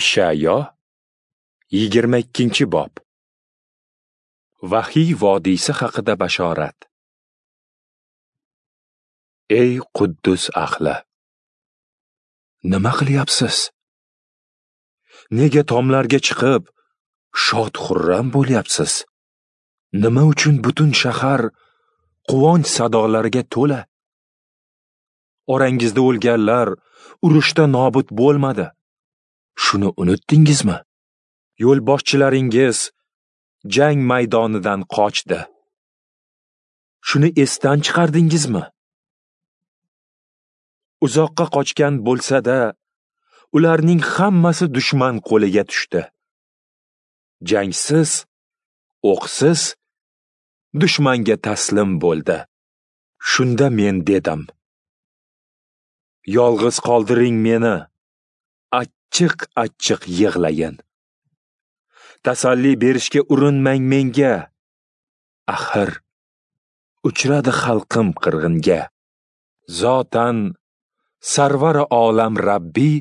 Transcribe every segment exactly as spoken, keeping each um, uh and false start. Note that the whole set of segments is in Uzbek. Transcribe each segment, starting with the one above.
Ishayo yigirma ikkinchi bob. Vahiy vodiysi haqida bashorat. Ey Quddus ahli, nima qilyapsiz? Nega tomlarga chiqib shod-xurram bo'lyapsiz? Nima uchun butun shahar quvonch sadolariga to'la? Orangizda o'lganlar urushda nobud bo'lmadi. Shuni unutdingizmi? Yo'lboshchilaringiz jang maydonidan qochdi. Shuni esdan chiqardingizmi? Uzoqqa qochgan bo'lsa-da, ularning hammasi dushman qo'liga tushdi. Jangsiz, o'qsiz dushmanga taslim bo'ldi. Shunda men dedim: yolg'iz qoldiring meni, achchiq-achchiq yig'layin. Tasalli berishga urinmang menga. Axir uchradi xalqim qirg'inga. Zotan Sarvari olam Rabbi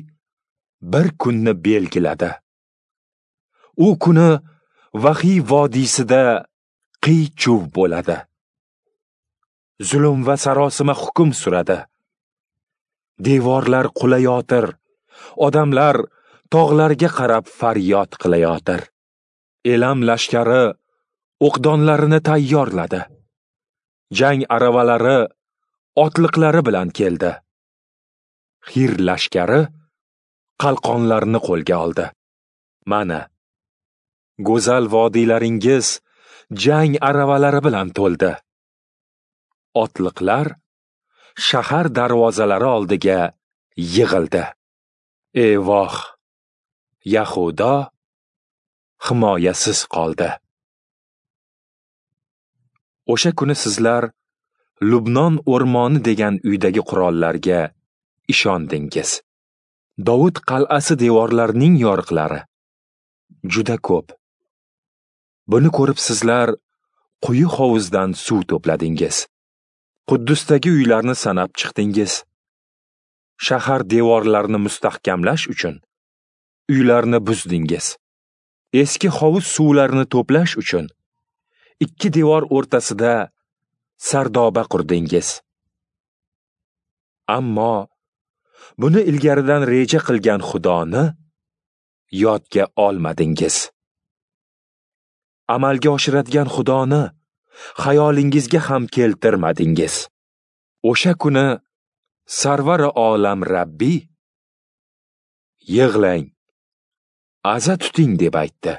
bir kunni belgiladi. U kuni Vahiy vodiysida qiy-chuv bo'ladi. Zulm va sarosima hukm suradi. Devorlar qulayotir, odamlar tog'larga qarab faryod qilayotir. Elam lashkari o'qdonlarini tayyorladi. Jang aravalari otliqlari bilan keldi. Xir lashkari qalqonlarni qo'lga oldi. Mana, go'zal vodiylaringiz jang aravalari bilan to'ldi. Otliqlar shahar darvozalari oldiga yig'ildi. Eyvoh, Yahudo himoyasiz qoldi. O'sha kuni sizlar Lubnon o'rmoni degan uydagi qurollarga ishondingiz. Dovud qal'asi devorlarining yoriqlari juda ko'p. Buni ko'rib sizlar quyi hovuzdan suv to'pladingiz. Quddusdagi uylarni sanab chiqdingiz. Shahar devorlarini mustahkamlash uchun uylarni buzdingiz. Eski hovuz suvlarini to'plash uchun ikki devor o'rtasida sardoba qurdingiz. Ammo buni ilgaridan reja qilgan Xudoni yodga olmadingiz. Amalga oshiradigan Xudoni xayolingizga ham keltirmadingiz. O'sha kuni Sarvari olam Rabbi yig'lang, aza tuting deb aytdi.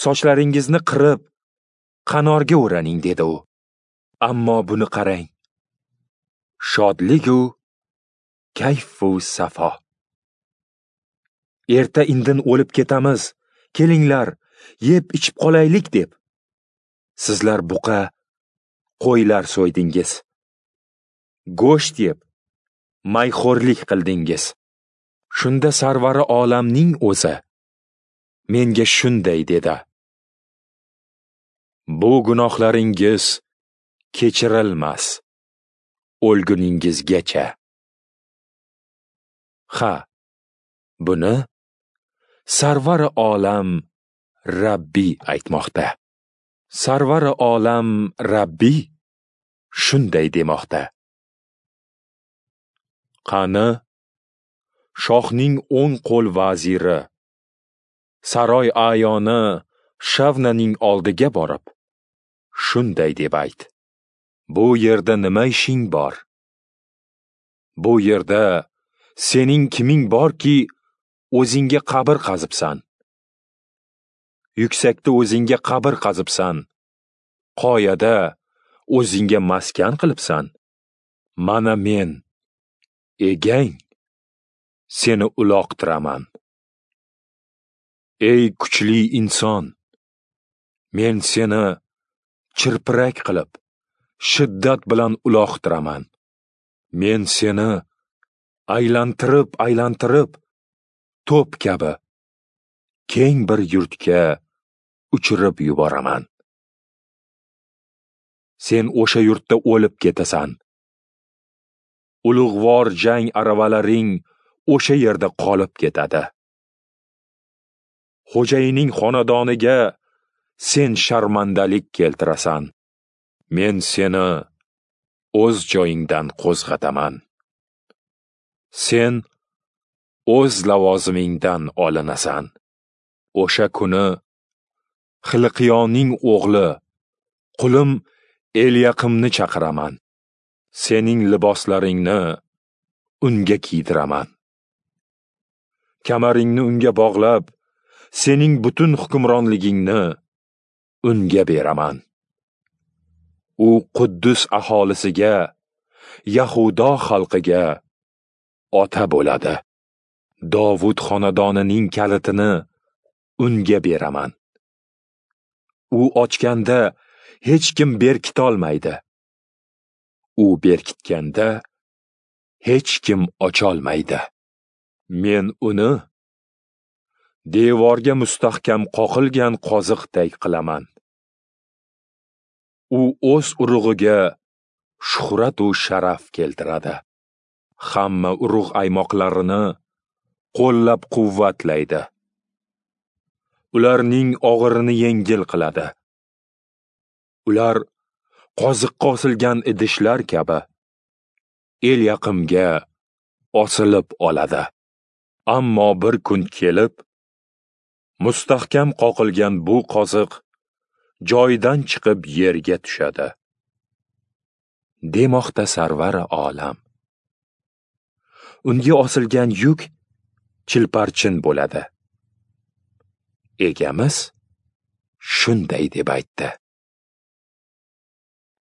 Sochlaringizni qirib, qanorga o'raning dedi u. Ammo buni qarang. Shodlik-u kayfu safo. Erta indin o'lib ketamiz, kelinglar, yeb ichib qolaylik deb. Sizlar buqa, qo'ylar so'ydingiz. Go'sht yeb, mayxo'rlik qildingiz. Shunda Sarvari olamning o'zi menga shunday dedi: bu gunohlaringiz kechirilmas o'lguningizgacha. Ha, buni Sarvari olam Rabbi aytmoqda. Sarvari olam Rabbi shunday demoqda: qani shohning o'ng qo'l vaziri saroy ayoni Shavnaning oldiga borib shunday deb ayt: bu yerda nima ishing bor? Bu yerda sening kiming borki, o'zingga qabr qazibsan? Yuksakda o'zingga qabr qazibsan, qoyada o'zingga maskan qilibsan. Mana men, egang, seni uloqtiraman. Ey kuchli inson, men seni chirpirak qilib, shiddat bilan uloqtiraman. Men seni aylantirib, aylantirib, to'p kabi keng bir yurtga uchirib yuboraman. Sen o'sha yurtda o'lib ketasan. Ulug'vor jang aravalaring o'sha yerda qolib ketadi. Xo'jayining xonadoniga sen sharmandalik keltirasan. Men seni o'z joyingdan qo'zg'ataman. Sen o'z lavozimingdan olinasan. O'sha kuni Xilqiyoning o'g'li qulim Elyaqimni chaqiraman. Sening liboslaringni unga kiydiraman. Kamaringni unga bog'lab, sening butun hukmronligingni unga beraman. U Quddus aholisiga, Yahudo xalqiga ota bo'ladi. Dovud xonadonining kalitini unga beraman. U ochganda hech kim berkitolmaydi. U berkitganda hech kim ocholmaydi. Men uni devorga mustahkam qoqilgan qoziqday qilaman. U o'z urug'iga shuhrat u sharaf keltiradi. Hamma urug' aymoqlarini qo'llab-quvvatlaydi. Ularning og'irini yengil qiladi. Ular qoziqqa osilgan idishlar kabi Elyaqimga osilib oladi. Ammo bir kun kelib, mustahkam qoqilgan bu qoziq joyidan chiqib yerga tushadi, demoqda Sarvari olam. Unga osilgan yuk chilparchin bo'ladi. Egamiz shunday deb aytdi.